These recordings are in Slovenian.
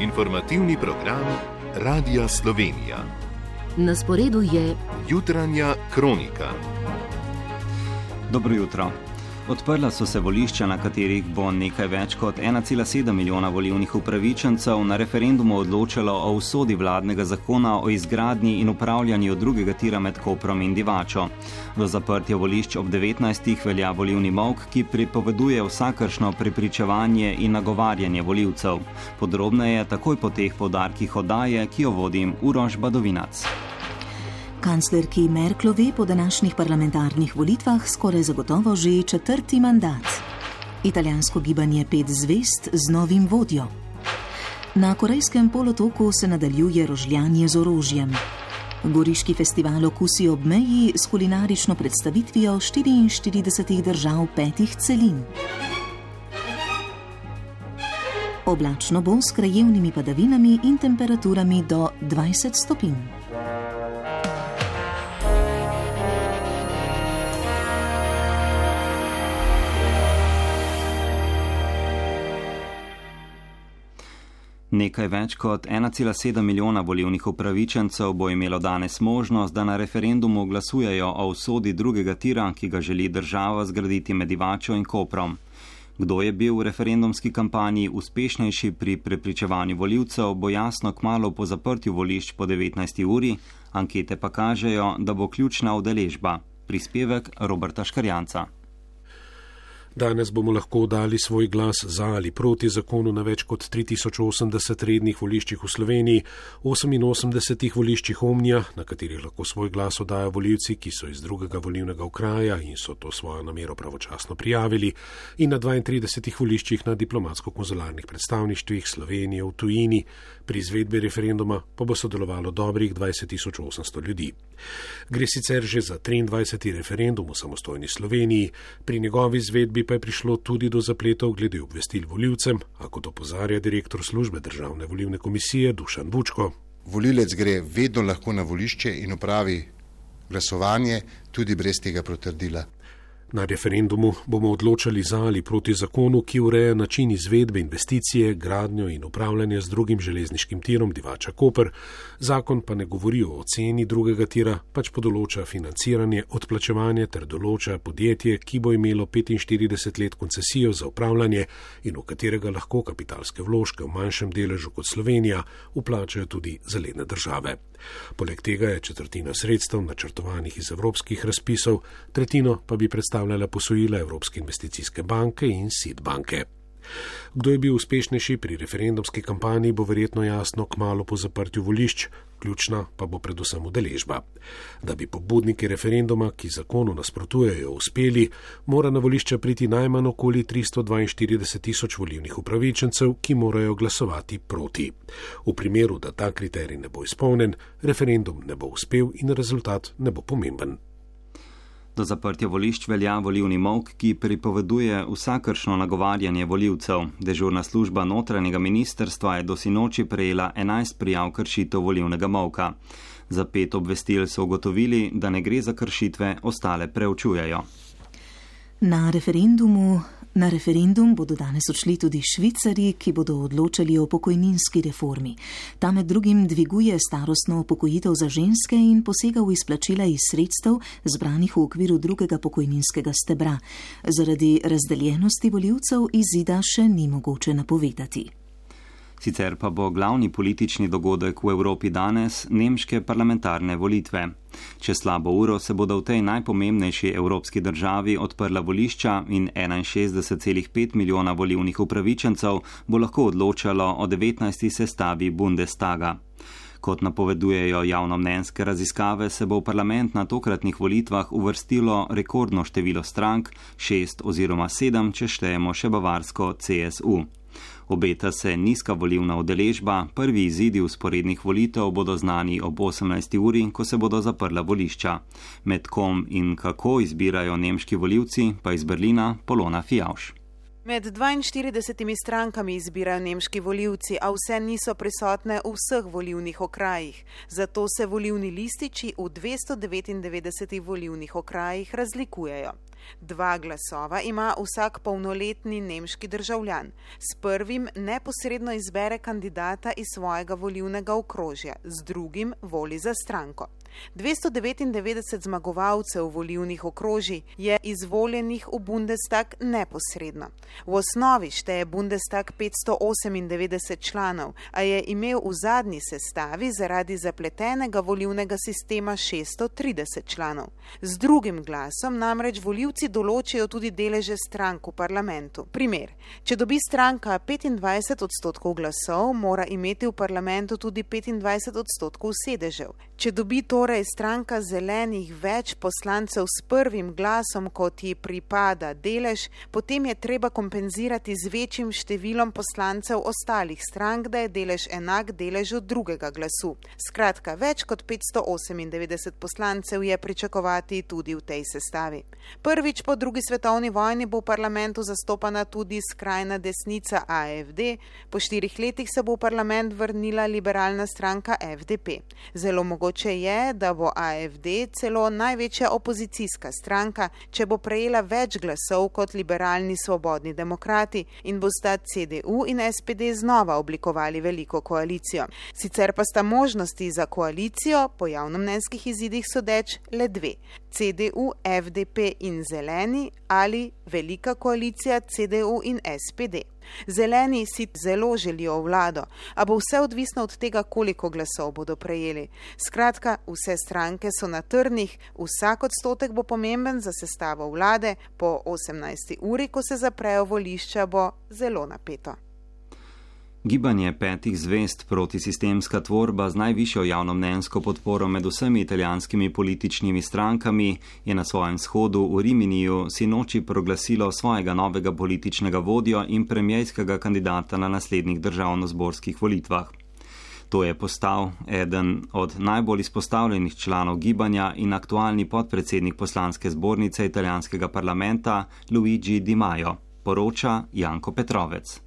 Informativni program Radia Slovenija. Na sporedu je Jutranja kronika. Dobro jutro. Odprla so se volišča, na katerih bo nekaj več kot 1,7 milijona volilnih upravičencev na referendumu odločalo o usodi vladnega zakona o izgradnji in upravljanju drugega tira med Koprom in Divačo. Do zaprtja volišč ob 19. velja volilni molk, ki pripoveduje vsakršno prepričevanje in nagovarjanje volivcev. Podrobneje takoj po teh poudarkih oddaje, ki jo vodim Uroš Badovinac. Kanclerki Merklovi po današnjih parlamentarnih volitvah skoraj zagotovo že 4. mandat. Italijansko gibanje 5 zvezd z novim vodjo. Na Korejskem polotoku se nadaljuje rožljanje z orožjem. Goriški festival Okusi ob meji s kulinarično predstavitvijo 44 držav 5 celin. Oblačno bo s krajevnimi padavinami in temperaturami do 20 stopinj. Nekaj več kot 1,7 milijona volilnih upravičencev bo imelo danes možnost, da na referendumu glasujejo o usodi drugega tira, ki ga želi država zgraditi med Divačo in Koprom. Kdo je bil v referendumski kampanji uspešnejši pri prepričevanju volivcev, bo jasno kmalu po zaprtju volišč po 19. uri, ankete pa kažejo, da bo ključna udeležba. Prispevek Roberta Škarjanca. Danes bomo lahko dali svoj glas za ali proti zakonu na več kot 3080 rednih voliščih v Sloveniji, 88 voliščih Omnija, na katerih lahko svoj glas oddajo volivci, ki so iz drugega volilnega okraja in so to svojo namero pravočasno prijavili, in na 32 voliščih na diplomatsko-konzularnih predstavništvih Slovenije v tujini. Pri izvedbi referenduma pa bo sodelovalo dobrih 20.800 ljudi. Gre sicer že za 23. referendum v samostojni Sloveniji, pri njegovi izvedbi pa je prišlo tudi do zapletov glede obvestil volivcem, a kot opozarja direktor službe Državne volilne komisije Dušan Vučko. Volilec gre vedno lahko na volišče in opravi glasovanje tudi brez tega potrdila. Na referendumu bomo odločali za ali proti zakonu, ki ureja način izvedbe investicije, gradnjo in upravljanje z drugim železniškim tirom Divača-Koper. Zakon pa ne govori o oceni drugega tira, pač pa določa financiranje, odplačevanje ter določa podjetje, ki bo imelo 45 let koncesijo za upravljanje in v katerega lahko kapitalske vložke v manjšem deležu kot Slovenija vplačajo tudi zaledne države. Poleg tega je 1/4 sredstev načrtovanih iz evropskih razpisov, 1/3 pa bi predstavljala posojila Evropske investicijske banke in SID banke. Kdo je bil uspešnejši pri referendumski kampanji, bo verjetno jasno kmalu po zaprtju volišč, ključna pa bo predvsem udeležba. Da bi pobudniki referenduma, ki zakonu nasprotujejo, uspeli, mora na volišča priti najmanj okoli 342.000 volilnih upravičencev, ki morajo glasovati proti. V primeru, da ta kriterij ne bo izpolnen, referendum ne bo uspel in rezultat ne bo pomemben. Do zaprtja volišč velja volilni molk, ki pripoveduje vsakršno nagovarjanje volivcev. Dežurna služba notranjega ministrstva je do sinoči prejela 11 prijav kršitev volilnega molka. Za 5 obvestil so ugotovili, da ne gre za kršitve, ostale preučujejo. Na referendum bodo danes odšli tudi Švicarji, ki bodo odločali o pokojninski reformi. Ta med drugim dviguje starostno upokojitev za ženske in posega v izplačila iz sredstev, zbranih v okviru drugega pokojninskega stebra. Zaradi razdeljenosti volivcev izida še ni mogoče napovedati. Sicer pa bo glavni politični dogodek v Evropi danes nemške parlamentarne volitve. Čez slabo uro se bodo v tej najpomembnejši evropski državi odprla volišča in 61,5 milijona volilnih upravičencev bo lahko odločalo o 19. sestavi Bundestaga. Kot napovedujejo javnomnenjske raziskave, se bo v parlament na tokratnih volitvah uvrstilo rekordno število strank, 6 oziroma 7, če štejemo še bavarsko CSU. Obeta se nizka volilna udeležba, prvi izidi vzporednih volitev bodo znani ob 18. uri, ko se bodo zaprla volišča. Med kom in kako izbirajo nemški volivci, pa iz Berlina Polona Fijavš. Med 42 strankami izbirajo nemški volivci, a vse niso prisotne v vseh volivnih okrajih. Zato se volivni lističi v 299 volivnih okrajih razlikujejo. 2 glasova ima vsak polnoletni nemški državljan. S prvim neposredno izbere kandidata iz svojega volilnega okrožja, z drugim voli za stranko. 299 zmagovalcev volilnih okrožij je izvoljenih v Bundestag neposredno. V osnovi šteje Bundestag 598 članov, a je imel v zadnji sestavi zaradi zapletenega volilnega sistema 630 članov. Z drugim glasom namreč volivci določijo tudi deleže strank v parlamentu. Primer, če dobi stranka 25% glasov, mora imeti v parlamentu tudi 25% sedežev. Če dobi torej stranka zelenih več poslancev s prvim glasom, kot ji pripada delež, potem je treba kompenzirati z večjim številom poslancev ostalih strank, da je delež enak deležu drugega glasu. Skratka, več kot 598 poslancev je pričakovati tudi v tej sestavi. Prvič po drugi svetovni vojni bo v parlamentu zastopana tudi skrajna desnica AfD, po 4 letih se bo v parlament vrnila liberalna stranka FDP. Zelo mogoče je, da bo AfD celo največja opozicijska stranka, če bo prejela več glasov kot liberalni svobodni demokrati in bosta CDU in SPD znova oblikovali veliko koalicijo. Sicer pa sta možnosti za koalicijo po javnomnenjskih izidih sodeč le 2. CDU, FDP in Zeleni ali velika koalicija CDU in SPD. Zeleni si zelo želijo vlado, a bo vse odvisno od tega, koliko glasov bodo prejeli. Skratka, vse stranke so na trnih, vsak odstotek bo pomemben za sestavo vlade, po 18. uri, ko se zaprejo volišča, bo zelo napeto. Gibanje 5 zvezd, protisistemska tvorba z najvišjo javnomnenjsko podporo med vsemi italijanskimi političnimi strankami, je na svojem shodu v Riminiju sinoči proglasilo svojega novega političnega vodjo in premierskega kandidata na naslednjih državnozborskih volitvah. To je postal eden od najbolj izpostavljenih članov gibanja in aktualni podpredsednik poslanske zbornice italijanskega parlamenta Luigi Di Maio, poroča Janko Petrovec.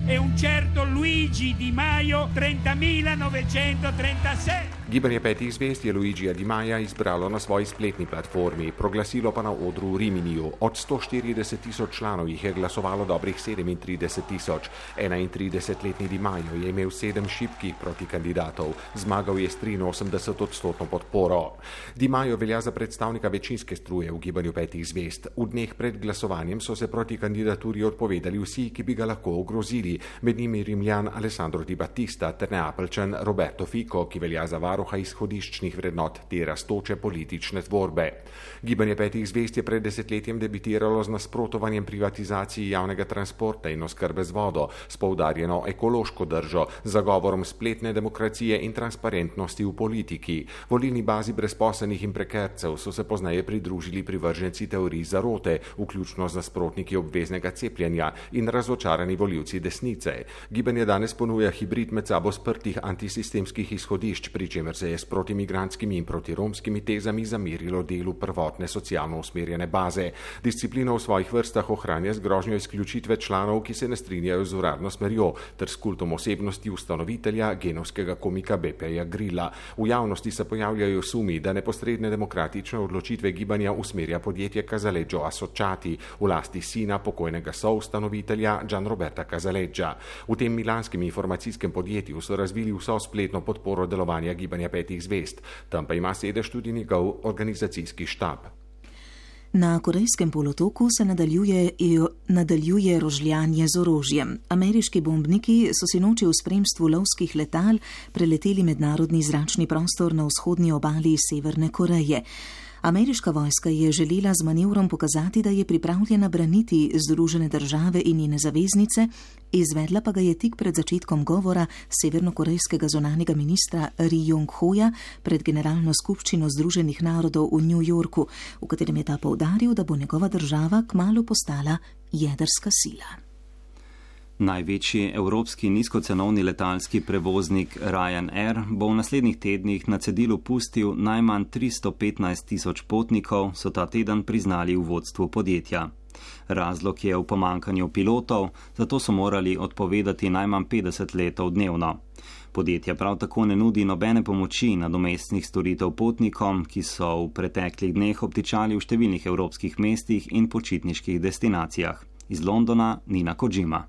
E un certo Luigi Di Maio 30.936. Gibanje 5 zvezd je Luigija Di Maia izbralo na svoji spletni platformi, proglasilo pa na odru v Riminiju. Od 140.000 članov jih je glasovalo dobrih 37.000. 31-letni Di Maio je imel 7 šibkih protikandidatov, zmagal je s 83% podporo. Di Maio velja za predstavnika večinske struje v gibanju 5 zvezd. V dneh pred glasovanjem so se proti kandidaturi odpovedali vsi, ki bi ga lahko ogrozili, med njimi Rimljan Alessandro Di Battista ter Neapeljčan Roberto Fico, ki velja za varuha izhodiščnih vrednot te rastoče politične tvorbe. Gibanje 5 zvezd je pred desetletjem debitiralo z nasprotovanjem privatizaciji javnega transporta in oskrbe z vodo, s poudarjeno ekološko držo, zagovorom spletne demokracije in transparentnosti v politiki. Volilni bazi brezposelnih in prekercev so se pozneje pridružili privrženci teorij zarote, vključno z nasprotniki obveznega cepljenja in razočarani volivci desnice. Gibanje danes ponuja hibrid med sabo sprtih antisistemskih izhodišč, pri čemer se je s protimigranskimi in protiromskimi tezami zamerilo delu prvotne socialno usmerjene baze. Disciplino v svojih vrstah ohranja z grožnjo izključitve članov, ki se ne strinjajo z uradno smerjo, ter s kultom osebnosti ustanovitelja genovskega komika Beppija Grilla. V javnosti se pojavljajo sumi, da neposredne demokratične odločitve gibanja usmerja podjetje Casaleggio Associati v lasti sina pokojnega soustanovitelja Gianroberta Casaleggia. V tem milanskem informacijskem podjetju so razvili vso spletno podporo delovanja gibanja 5 zvezd. Tam pa ima sedež tudi njegov organizacijski štab. Na Korejskem polotoku se nadaljuje rožljanje z orožjem. Ameriški bombniki so sinoči v spremstvu lovskih letal preleteli mednarodni zračni prostor na vzhodni obali Severne Koreje. Ameriška vojska je želela z manevrom pokazati, da je pripravljena braniti Združene države in njene zaveznice, izvedla pa ga je tik pred začetkom govora severnokorejskega zunanjega ministra Ri Jong-hoja pred Generalno skupščino Združenih narodov v New Yorku, v katerem je ta poudaril, da bo njegova država kmalu postala jedrska sila. Največji evropski nizkocenovni letalski prevoznik Ryanair bo v naslednjih tednih na cedilu pustil najmanj 315.000 potnikov, so ta teden priznali v vodstvu podjetja. Razlog je v pomankanju pilotov, zato so morali odpovedati najmanj 50 letov dnevno. Podjetje prav tako ne nudi nobene pomoči nadomestnih storitev potnikom, ki so v preteklih dneh obtičali v številnih evropskih mestih in počitniških destinacijah. Iz Londona Nina Kojima.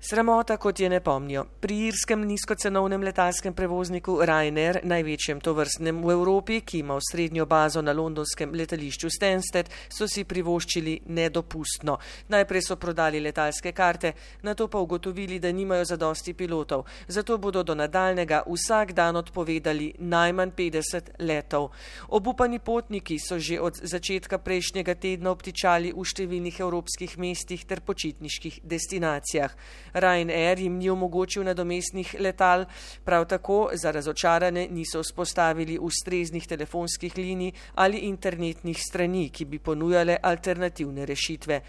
Sramota, kot je ne pomnijo. Pri irskem nizkocenovnem letalskem prevozniku Ryanair, največjem tovrstnem v Evropi, ki ima osrednjo bazo na londonskem letališču Stansted, so si privoščili nedopustno. Najprej so prodali letalske karte, nato pa ugotovili, da nimajo zadosti pilotov. Zato bodo do nadaljnega vsak dan odpovedali najmanj 50 letov. Obupani potniki so že od začetka prejšnjega tedna obtičali v številnih evropskih mestih ter počitniških destinacijah. Ryanair jim ni omogočil nadomestnih letal, prav tako za razočarane niso vzpostavili ustreznih telefonskih linij ali internetnih strani, ki bi ponujale alternativne rešitve.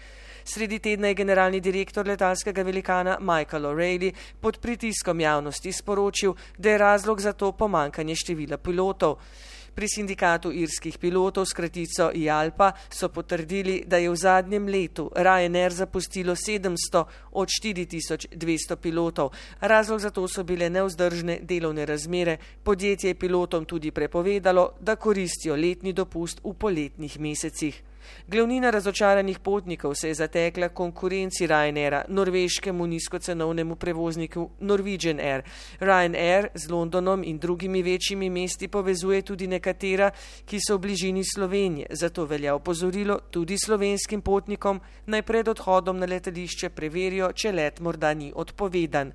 Sredi tedna je generalni direktor letalskega velikana Michael O'Reilly pod pritiskom javnosti sporočil, da je razlog za to pomankanje števila pilotov. Pri sindikatu irskih pilotov s kratico IALPA so potrdili, da je v zadnjem letu Ryanair zapustilo 700 od 4200 pilotov. Razlog za to so bile nevzdržne delovne razmere. Podjetje je pilotom tudi prepovedalo, da koristijo letni dopust v poletnih mesecih. Glavnina razočaranih potnikov se je zatekla konkurenci Ryanaira, norveškemu nizkocenovnemu prevozniku Norwegian Air. Ryanair z Londonom in drugimi večjimi mesti povezuje tudi nekatera, ki so v bližini Slovenije, zato velja opozorilo tudi slovenskim potnikom, naj pred odhodom na letališče preverijo, če let morda ni odpovedan.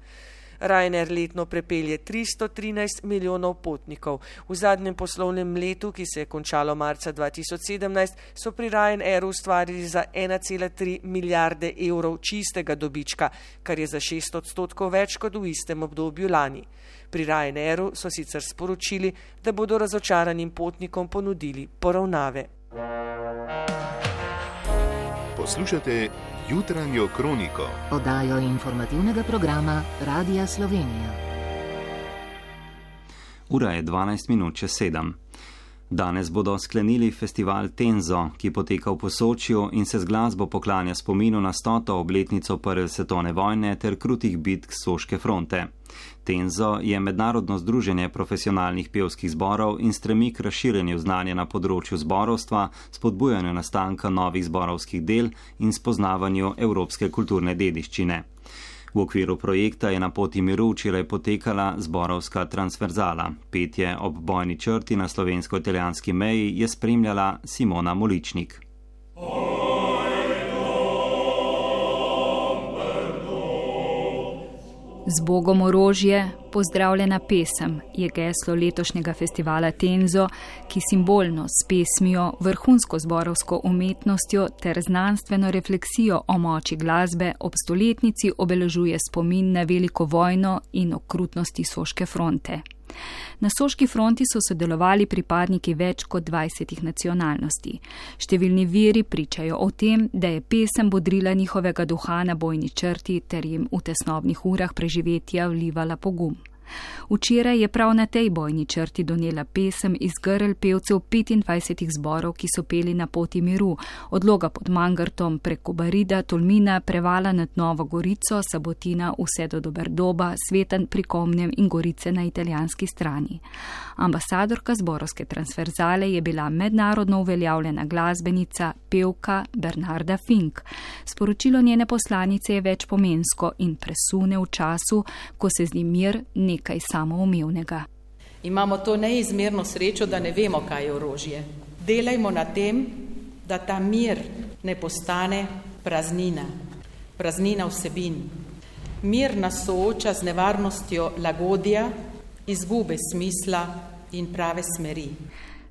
Ryanair letno prepelje 313 milijonov potnikov. V zadnjem poslovnem letu, ki se je končalo marca 2017, so pri Ryanairu ustvarili za 1,3 milijarde evrov čistega dobička, kar je za 6% več kot v istem obdobju lani. Pri Ryanairu so sicer sporočili, da bodo razočaranim potnikom ponudili poravnave. Poslušate Jutranjo kroniko, oddajo informativnega programa Radia Slovenija. Ura je 12:07. Danes bodo sklenili festival Tenzo, ki poteka v Posočju in se z glasbo poklanja spominu na 100. obletnico prve svetovne vojne ter krutih bitk Soške fronte. Tenzo je mednarodno združenje profesionalnih pevskih zborov in stremi k razširjenju znanja na področju zborovstva, spodbujanju nastanka novih zborovskih del in spoznavanju evropske kulturne dediščine. V okviru projekta je na poti miru včeraj potekala zborovska transverzala. Petje ob bojni črti na slovensko-italijanski meji je spremljala Simona Moličnik. Z Bogom orožje, pozdravljena pesem je geslo letošnjega festivala Tenzo, ki simbolno s pesmijo, vrhunsko zborovsko umetnostjo ter znanstveno refleksijo o moči glasbe ob stoletnici obeležuje spomin na veliko vojno in okrutnosti Soške fronte. Na Soški fronti so sodelovali pripadniki več kot 20 nacionalnosti. Številni viri pričajo o tem, da je pesem bodrila njihovega duha na bojni črti ter jim v tesnobnih urah preživetja vlivala pogum. Včeraj je prav na tej bojni črti donela pesem iz grl pevcev 25 zborov, ki so peli na poti miru, od Loga pod Mangartom preko Barida, Tolmina, Prevala nad Novo Gorico, Sabotina, vse do Doberdoba, Svetanj pri Komnem in Gorice na italijanski strani. Ambasadorka zborovske transverzale je bila mednarodno uveljavljena glasbenica, pevka Bernarda Fink. Sporočilo njene poslanice je večpomensko in presune v času, ko se zdi mir nekaj samoumevnega. Imamo to neizmerno srečo, da ne vemo, kaj je orožje. Delajmo na tem, da ta mir ne postane praznina, praznina vsebin. Mir nas sooča z nevarnostjo lagodja, izgube smisla in prave smeri.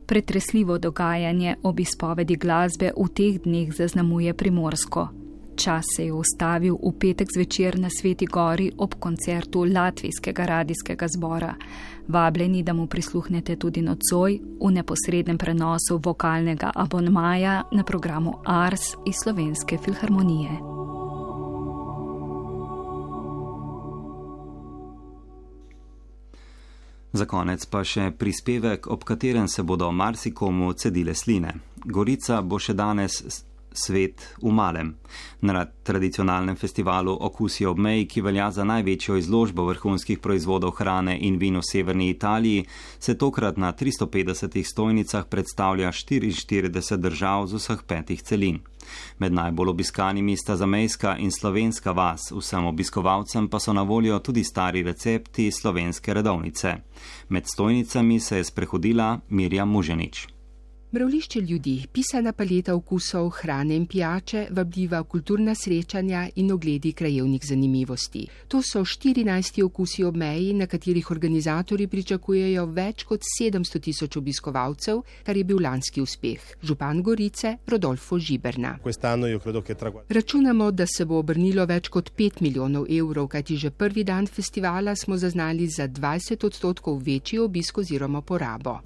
Pretresljivo dogajanje ob izpovedi glasbe v teh dneh zaznamuje Primorsko. Čas se je ustavil v petek zvečer na Sveti Gori ob koncertu Latvijskega radijskega zbora. Vabljeni, da mu prisluhnete tudi nocoj v neposrednem prenosu vokalnega abonmaja na programu Ars iz Slovenske filharmonije. Za konec pa še prispevek, ob katerem se bodo marsikomu cedile sline. Gorica bo še danes Svet v malem. Na tradicionalnem festivalu Okusi ob meji, ki velja za največjo izložbo vrhunskih proizvodov hrane in vin v severni Italiji, se tokrat na 350 stojnicah predstavlja 44 držav z vseh 5 celin. Med najbolj obiskanimi sta zamejska in slovenska vas, vsem obiskovalcem pa so na voljo tudi stari recepti slovenske redovnice. Med stojnicami se je sprehodila Mirjam Muženič. Mravlišče ljudi, pisana paleta okusov, hrane in pijače, vabljiva kulturna srečanja in ogledi krajevnih zanimivosti. To so 14 okusi ob meji, na katerih organizatorji pričakujejo več kot 700 000 obiskovalcev, kar je bil lanski uspeh. Župan Gorice Rodolfo Žiberna. Računamo, da se bo obrnilo več kot 5 milijonov evrov, kajti že prvi dan festivala smo zaznali za 20% večji obisk oziroma porabo.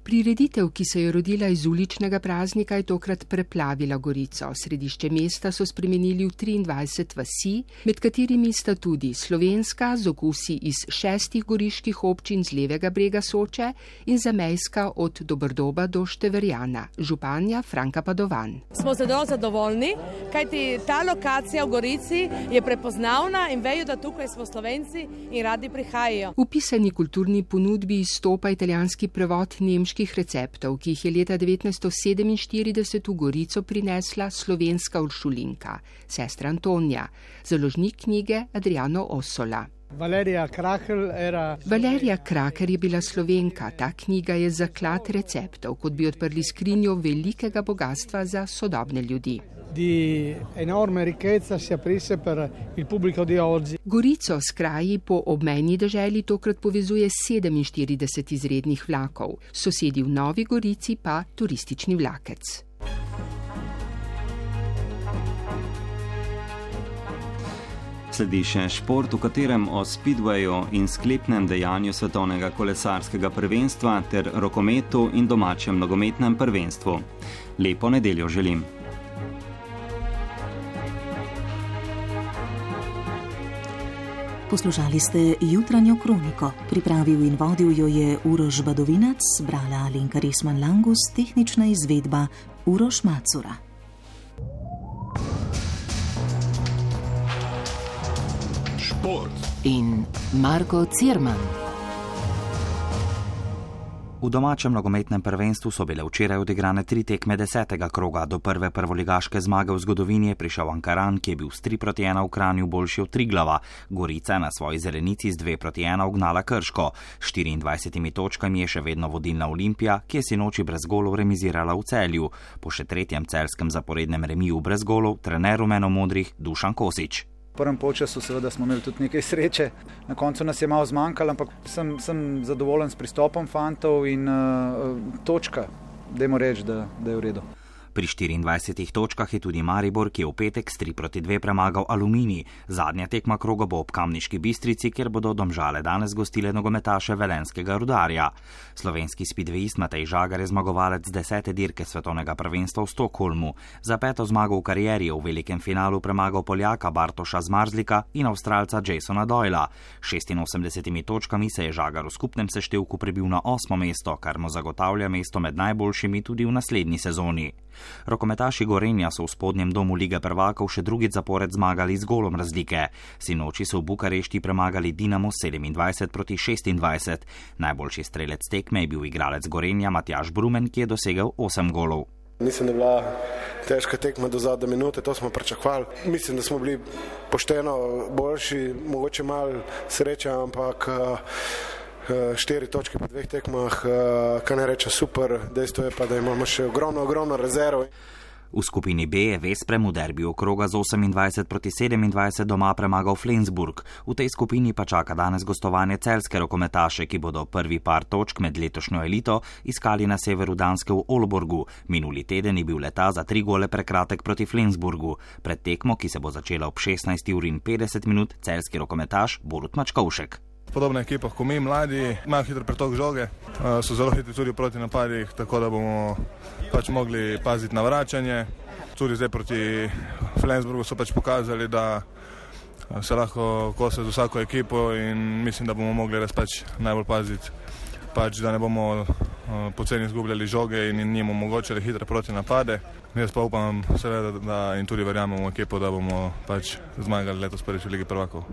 Prireditev, ki se je rodila iz uličnega praznika, je tokrat preplavila Gorico. Središče mesta so spremenili v 23 vasi, med katerimi sta tudi slovenska z okusi iz 6 goriških občin z levega brega Soče in zamejska od Dobrdoba do Števerjana. Županja Franka Padovan. Smo zelo zadovoljni, kajti ta lokacija v Gorici je prepoznavna in vejo, da tukaj smo Slovenci in radi prihajajo. V pisani kulturni ponudbi izstopa italijanski prevod nemških receptov, ki jih je leta 1947 v Gorico prinesla slovenska uršulinka, sestra Antonija, založnik knjige Adriano Ossola. Valerija Kraker je bila Slovenka. Ta knjiga je zaklad receptov, kot bi odprli skrinjo velikega bogatstva za sodobne ljudi. Gorico s kraji po obmejni deželi tokrat povezuje 47 izrednih vlakov, sosedi v Novi Gorici pa turistični vlakec. Sledi še šport, v katerem o speedwayu in sklepnem dejanju svetovnega kolesarskega prvenstva ter rokometu in domačem nogometnem prvenstvu. Lepo nedeljo želim. Poslušali ste Jutranjo kroniko. Pripravil in vodil jo je Uroš Badovinac, brala Alenka Resman-Langus, tehnična izvedba Uroš Macura. Šport in Marko Cirman. V domačem nogometnem prvenstvu so bile včeraj odigrane 3 tekme 10. kroga. Do prve prvoligaške zmage v zgodovini je prišel Ankaran, ki je bil s 3-1 v Kranju boljši od Triglava. Gorica na svoji zelenici z 2-1 ugnala Krško. 24 točkami je še vedno vodilna Olimpija, ki je sinoči brez golov remizirala v Celju. Po še 3. celjskem zaporednem remiju brez golov trener rumenomodrih Dušan Kosič. V prvem polčasu seveda smo imeli tudi nekaj sreče, na koncu nas je malo zmanjkalo, ampak sem zadovoljen s pristopom fantov in točka, dajmo reči, da je v redu. Pri 24 točkah je tudi Maribor, ki je v petek s 3-2 premagal Aluminij. Zadnja tekma kroga bo ob Kamniški Bistrici, kjer bodo Domžale danes gostile nogometaše velenjskega Rudarja. Slovenski speedwayist Matej Žagar je zmagovalec 10. dirke svetovnega prvenstva v Stockholmu. Za 5. zmago v karieri je v velikem finalu premagal Poljaka Bartoša Zmarzlika in Avstralca Jasona Doyla. 86 točkami se je Žagar v skupnem seštevku prebil na 8. mesto, kar mu zagotavlja mesto med najboljšimi tudi v naslednji sezoni. Rokometaši Gorenja so v spodnjem domu Lige prvakov še drugič zapored zmagali z golom razlike. Sinoči so v Bukarešti premagali Dinamo 27-26. Najboljši strelec tekme je bil igralec Gorenja Matjaž Brumen, ki je dosegel 8 golov. Mislim, da je bila težka tekma do zadnje minute, to smo pričakovali. Mislim, da smo bili pošteno boljši, mogoče malo sreča, ampak 4 točke po 2 tekmah, kaj ne reče super, dejstvo je pa, da imamo še ogromno rezerv. V skupini B je Vesprem v derbiju kroga z 28-27 doma premagal Flensburg. V tej skupini pa čaka danes gostovanje celjske rokometaše, ki bodo prvi par točk med letošnjo elito iskali na severu Danske v Aalborgu. Minuli teden je bil leta za 3 gole prekratek proti Flensburgu. Pred tekmo, ki se bo začela ob 16:50, celjski rokometaš Borut Mačkovšek. Podobna ekipa, ko mi mladi, imajo hitro pretok žoge, so zelo hitri tudi proti napadih, tako da bomo mogli paziti na vračanje. Tudi zdaj proti Flensburgu so pokazali, da se lahko kose z vsako ekipo in mislim, da bomo mogli res najbolj paziti pač da ne bomo poceni izgubljali žoge in njim omogočili hitre proti napade. Jaz pa upam seveda in tudi verjamem v ekipo, da bomo pač zmagali letos prvič v Ligi prvakov.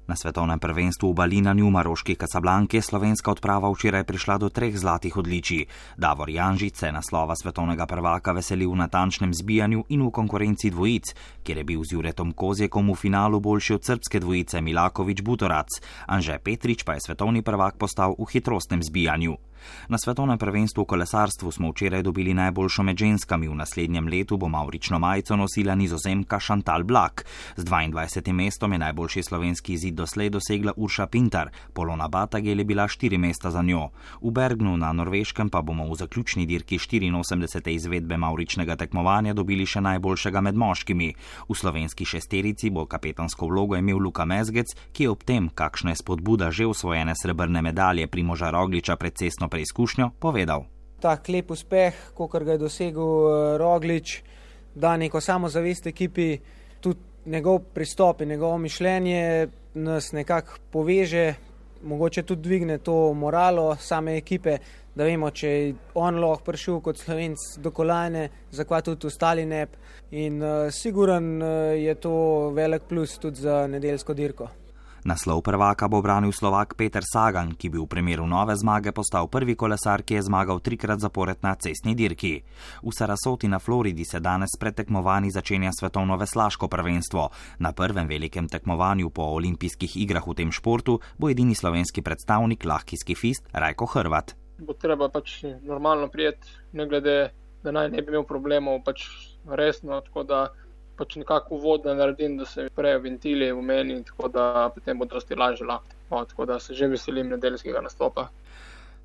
Na svetovnem prvenstvu v balinanju v maroški Casablanki je slovenska odprava včeraj prišla do 3 zlatih odličij. Davor Janžič se naslova svetovnega prvaka veselil v natančnem zbijanju in v konkurenci dvojic, kjer je bil z Juretom Kozjekom v finalu boljši od srbske dvojice Milaković-Butorac. Anže Petrič pa je svetovni prvak postal v hitrostnem zbijanju. Na svetovnem prvenstvu v kolesarstvu smo včeraj dobili najboljšo med ženskami. V naslednjem letu bo mavrično majico nosila Nizozemka Chantal Black. Z 22. mestom je najboljši slovenski izid doslej dosegla Urša Pintar, Polona Batagel je bila 4 mesta za njo. V Bergnu na Norveškem pa bomo v zaključni dirki 84. izvedbe mavričnega tekmovanja dobili še najboljšega med moškimi. V slovenski šesterici bo kapetansko vlogo imel Luka Mezgec, ki je ob tem, kakšna je spodbuda že osvojene srebrne medalje Primoža Rogliča pred cestno preizkušnjo, povedal. Tak lep uspeh, kakor ga je dosegel Roglič, da neko samozavest ekipi, tudi njegov pristop in njegovo mišljenje nas nekako poveže, mogoče tudi dvigne to moralo same ekipe, da vemo, če je on lahko prišel kot Slovenc do kolajne, zakaj tudi ostali ne. In siguran je to velik plus tudi za nedeljsko dirko. Naslov prvaka bo branil Slovak Peter Sagan, ki bi v primeru nove zmage postal prvi kolesar, ki je zmagal 3-krat zapored na cestni dirki. V Sarasoti na Floridi se danes pred tekmovanji začenja svetovno veslaško prvenstvo. Na prvem velikem tekmovanju po olimpijskih igrah v tem športu bo edini slovenski predstavnik lahki skifist Rajko Hrvat. Bo treba pač normalno prijeti, ne glede, da naj ne bi imel problemov, pač resno, tako da pač nekako uvod naredim, da se prejo ventili v meni, tako da potem bo dosti lažje lahko. Tako da se že veselim nedeljskega nastopa.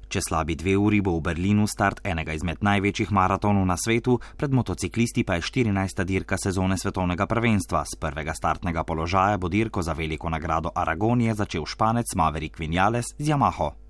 Čez slabi 2 uri bo v Berlinu start enega izmed največjih maratonov na svetu, pred motociklisti pa je 14. dirka sezone svetovnega prvenstva. Z prvega startnega položaja bo dirko za veliko nagrado Aragonije začel Španec Maverick Viñales z Yamaho.